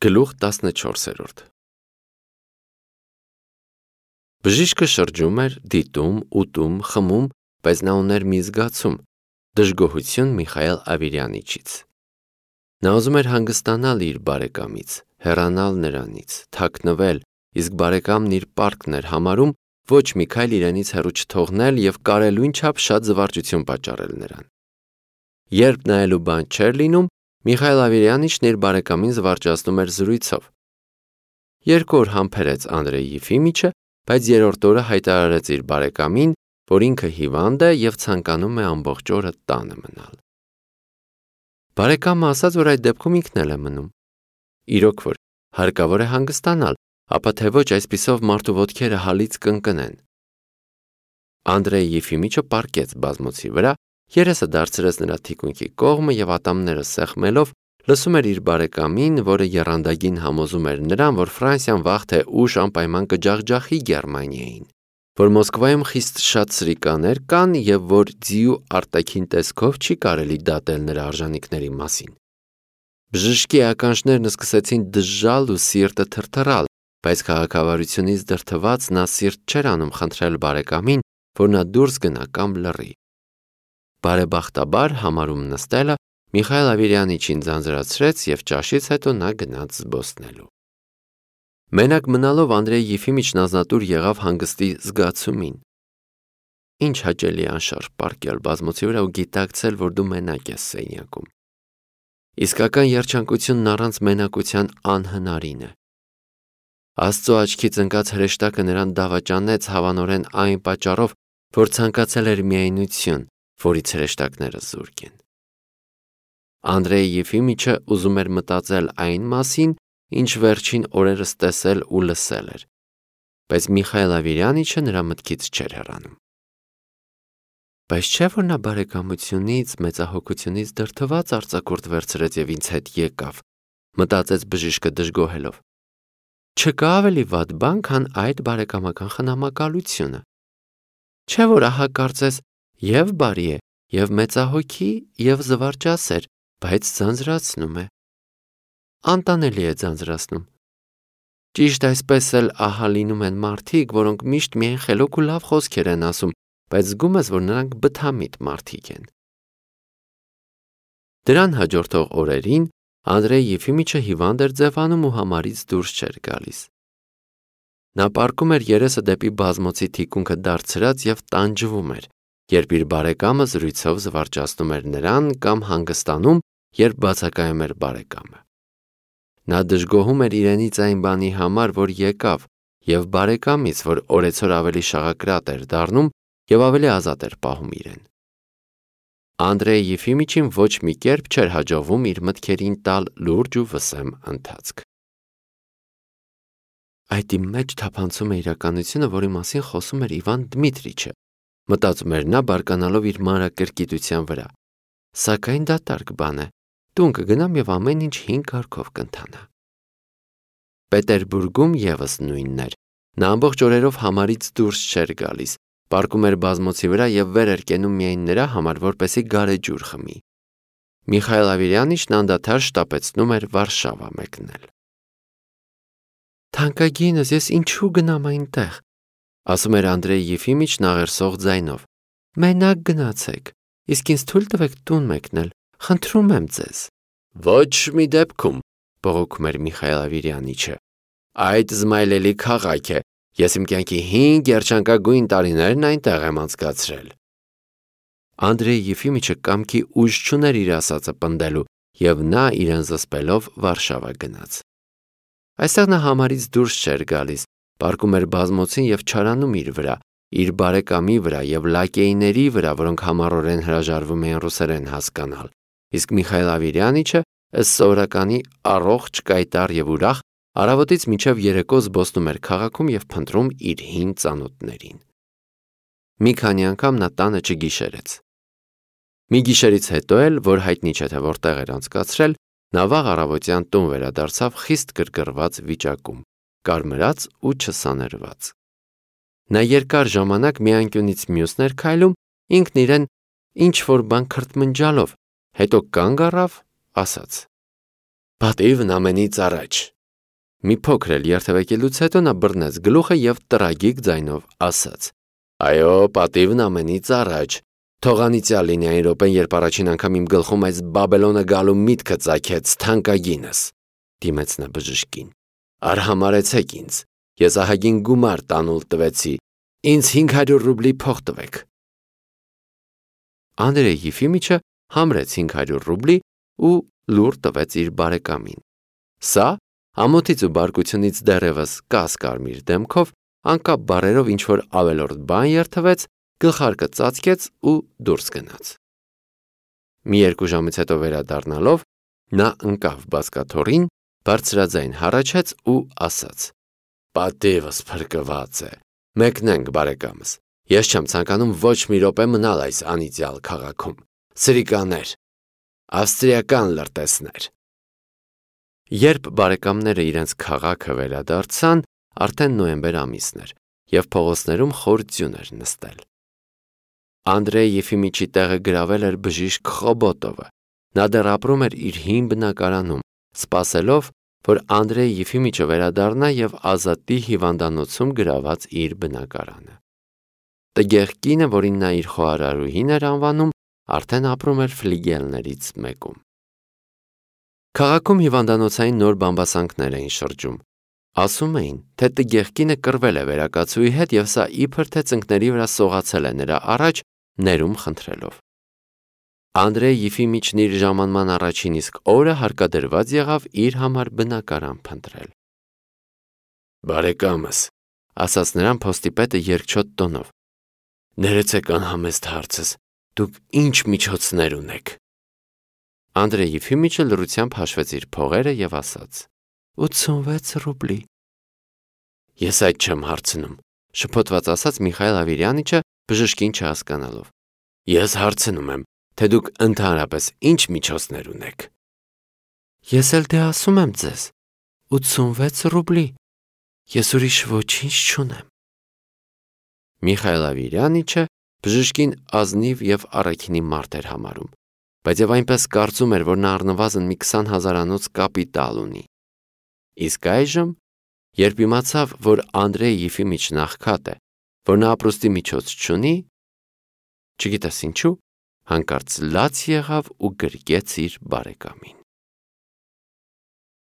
Գլուխ 14 Բժիշկը շրջում էր, դիտում, ուտում, խմում, բայց նա ուներ մի զգացում՝ դժգոհություն Միխայել Ավիրյանիչից։ Նա ուզում էր հանգստանալ իր բարեկամից, հեռանալ նրանից, թաքնվել, իսկ բարեկամն իր պարտքն էր համարում ոչ Միքայել իրենից հեռու չթողնել և կարելույն չափ շատ զվարճություն պատճառել նրան։ Երբ նայելու բան չէր լինում, Միխայել Ավիրյանիչն իր բարեկամին զվարճացնում էր զրույցով։ 2 օր համբերեց Անդրեյ Եֆիմիչը, բայց 3-րդ օրը հայտարարեց իր բարեկամին, որ ինքը հիվանդ է և ցանկանում է ամբողջ օրը տանը մնալ։ Բարեկամը ասաց, որ այդ դեպքում ինքն էլ է մնում։ Իրոք որ հարկավոր է հանգստանալ, ապա թե ոչ այսպիսով մարդու ոտքերը հալից կընկնեն։ Անդրեյ Եֆիմիչը պառկեց բազմոցի վրա, երեսը դարձրեց նրա թիկունքի կողմը և ատամները սեղմելով լսում էր իր բարեկամին, որը եռանդագին համոզում էր նրան, որ Ֆրանսիան վաղ թե ուշ անպայման կջախջախի Գերմանիային, որ Մոսկվայում խիստ շատ սրիկաներ կան և որ ձիու արտաքին տեսքով չի կարելի դատել նրա արժանինքների մասին։ Բժշկի ականջներն սկսեցին դժժալ ու սիրտը թրթռալ, բայց քաղաքավարությունից դրդված նա սիրտ չէր անում խնդրել բարեկամին, որ նա դուրս գնա կամ լռի։ Բարեբախտաբար համարում նստելը Միխայել Ավիրյանիչին ձանձրացրեց և ճաշից հետո նա գնաց զբոսնելու։ Մենակ մնալով Անդրեյ Եֆիմիչն ազնատուր եղավ հանգստի զգացումին։ Ինչ հաճելի անշարժ պառկել բազմոցի վրա ու գիտակցել, որ դու մենակ ես սենյակում։ Իսկական երջանկությունն առանց մենակության անհնարին է։ Աստծո աչքից ընկած հրեշտակը նրան դավաճանեց հավանորեն այն պատճառով, որ ցանկացել էր միայնություն, որից հրեշտակները զուրկ են։ Անդրեյ Եֆիմիչը ուզում էր մտածել այն մասին, ինչ վերջին օրերս տեսել ու լսել էր, բայց Միխայել Ավիրյանիչը նրա մտքից չէր հեռանում։ Բայց չէ՞ որ նա բարեկամությունից, մեծահոգությունից դրդված արձակուրդ վերցրեց և ինձ հետ եկավ, մտածեց բժիշկը դժգոհելով։ Չկա ավելի վատ բան, քան այդ բարեկամական խնամակալությունը։ Չէ՞ որ ահա կարծես և բարի է, և մեծահոգի, և զվարճասեր, բայց ձանձրացնում է։ Անտանելի է ձանձրացնում։ Ճիշտ այսպես էլ ահա լինում են մարդիկ, որոնք միշտ միայն խելոք ու լավ խոսքեր են ասում, բայց զգում ես, որ նրանք բթամիտ մարդիկ են։ Դրան հաջորդող օրերին Անդրեյ Եֆիմիչը հիվանդ էր ձևանում ու համարից դուրս չէր գալիս։ Նա պառկում էր երեսը դեպի բազմոցի թիկունքը դարձրած և տանջվում էր, երբ իր բարեկամը զրույցով զվարճացնում էր նրան կամ հանգստանում, երբ բացակայում էր բարեկամը։ Նա դժգոհում էր իրենից այն բանի համար, որ եկավ, և բարեկամից, որ օրեցօր ավելի շաղակրատ էր դառնում և ավելի ազատ էր պահում իրեն։ Անդրեյ Եֆիմիչին ոչ մի կերպ չէր հաջողվում իր մտքերին տալ լուրջ ու վսեմ ընթացք։ Այդ իմ մեջ թափանցում է իրականությունը, որի մասին խոսում էր Իվան Դմիտրիչը, մտածում էր նա բարկանալով իր մանրակրկիտության վրա։ Սակայն դատարկ բան է, տուն կգնամ և ամեն ինչ 5 կարգով կընթանա։ Պետերբուրգում ևս նույնն էր։ Նա ամբողջ օրերով համարից դուրս չէր գալիս, պառկում էր բազմոցի վրա և վեր էր կենում միայն նրա համար, որպեսզի գարեջուր խմի։ Միխայել Ավիրյանիչն անդադար շտապեցնում էր Վարշավա մեկնել։ Թանկագինս, ես ինչու գնամ այնտեղ, ասում էր Անդրեյ Եֆիմիչն աղերսող ձայնով։ Մենակ գնացեք, իսկ ինձ թույլ տվեք տուն մեկնել, խնդրում եմ ձեզ։ Ոչ մի դեպքում, բողոքում էր Միխայել Ավիրյանիչը։ Այդ զմայլելի քաղաք է, ես իմ կյանքի 5 երջանկագույն տարիներն այնտեղ եմ անցկացրել։ Անդրեյ Եֆիմիչը կամքի ուժ չուներ իր ասածը պնդելու, և նա իրեն զսպելով Վարշավա գնաց։ Այստեղ նա համարից դուրս չէր գալիս, պառկում էր բազմոցին և չարանում իր վրա, իր բարեկամի վրա և լակեյների վրա, որոնք համառորեն հրաժարվում էին ռուսերեն հասկանալ, իսկ Միխայել Ավիրյանիչը ըստ սովորականի առողջ, կայտառ և ուրախ առավոտից մինչև երեկո զբոսնում էր քաղաքում և փնտրում իր հին ծանոթներին։ Մի քանի անգամ նա տանը չգիշերեց։ Մի գիշերից հետո էլ, որ հայտնի չէ թե որտեղ էր անցկացրել, նա վաղ առավոտյան տուն վերադարձավ խիստ գրգռված վիճակում, կարմրած ու չսաներված։ Նա երկար ժամանակ մի անկյունից մյուսն էր քայլում, ինքն իրեն ինչ-որ բան քրթմնջալով, հետո կանգ առավ, ասաց. Պատիվն ամենից առաջ, Մի փոքր էլ երթևեկելուց հետո նա բռնեց գլուխը եւ տրագիկ ձայնով ասաց. «Այո, պատիվն ամենից առաջ։ Թող անիծյալ լինի այն րոպեն, երբ առաջին անգամ իմ գլխում այս Բաբելոնը գալու միտքը ծագեց թանկագինս», դիմեց նա բժշկին։ «Արհամարհեցեք ինձ, ես ահագին գումար տանուլ տվեցի, ինձ 500 ռուբլի փող տվեք»։ Անդրեյ Եֆիմիչը համրեց 500 ռուբլի ու լուր տվեց իր բարեկամին։ Սա ամոթից ու բարկությունից դեռևս կասկարմիր դեմքով անկապ բառերով ինչ-որ ավելորդ բան երթվեց, գլխարկը ծածկեց ու դուրս գնաց։ Մի 2 ժամից հետո վերադառնալով նա ընկավ բազկաթոռին, բարձրաձայն հառաչեց ու ասաց. «Պատիվս փրկված է, մեկնենք բարեկամս, ես չեմ ցանկանում ոչ մի րոպե մնալ այս անիծյալ քաղաքում, սրիկաներ, ավստրիական լրտեսներ»։ Երբ բարեկամները իրենց քաղաքը վերադարձան, արդեն նոյեմբեր ամիսն էր եւ փողոցներում խոր ձյուն էր նստել։ Անդրեյ Եֆիմիչի տեղը գրավել էր բժիշկ Խոբոտովը։ Նա դեռ ապրում էր իր հին բնակարանում, սպասելով, որ Անդրեյ Եֆիմիչը վերադառնա եւ ազատի հիվանդանոցում գրաված իր բնակարանը։ Տգեղ կինը, որին նա իր խոհարարուհին էր անվանում, արդեն ապրում էր ֆլիգելներից մեկում։ Քաղաքում հիվանդանոցային նոր բամբասանքներ էին շրջում։ Ասում էին, թե տգեղ կինը կռվել է վերակացուի հետ եւ սա իբր թե ծնկների վրա սողացել է նրա առաջ, ներում խնդրելով։ Անդրեյ Եֆիմիչն իր ժամանման առաջին իսկ օրը հարկադրված եղավ իր համար բնակարան փնտրել։ «Բարեկամս», ասաց նրան փոստի երկչոտ տոնով, «ներեցեք անհամեստ հարցս, դուք ինչ միջոցներ ունեք»։ Անդրեյ Եֆիմիչը լռությամբ հաշվեց իր փողերը եւ ասաց. 86 ռուբլի։ «Ես այդ չեմ հարցնում», շփոթված ասաց Միխայել Ավիրյանիչը բժշկին չհասկանալով։ «Ես հարցնում եմ, թե դուք ընդհանրապես ինչ միջոցներ ունեք»։ «Ես էլ դե ասում եմ ձեզ, 86 ռուբլի, ես ուրիշ ոչինչ չունեմ»։ Միխայել Ավիրյանիչը բժշկին ազնիվ եւ առաքինի մարդ էր համարում, բայց եւ այնպես կարծում էր, որ նա առնվազն մի 20,000-անոց կապիտալ ունի։ Իսկ այժմ, երբ իմացավ, որ Անդրեյ Եֆիմիչն աղքատ է, որ նա ապրուստի միջոց չունի, չգիտես ինչու, հանկարծ լաց եղավ ու գրկեց իր բարեկամին։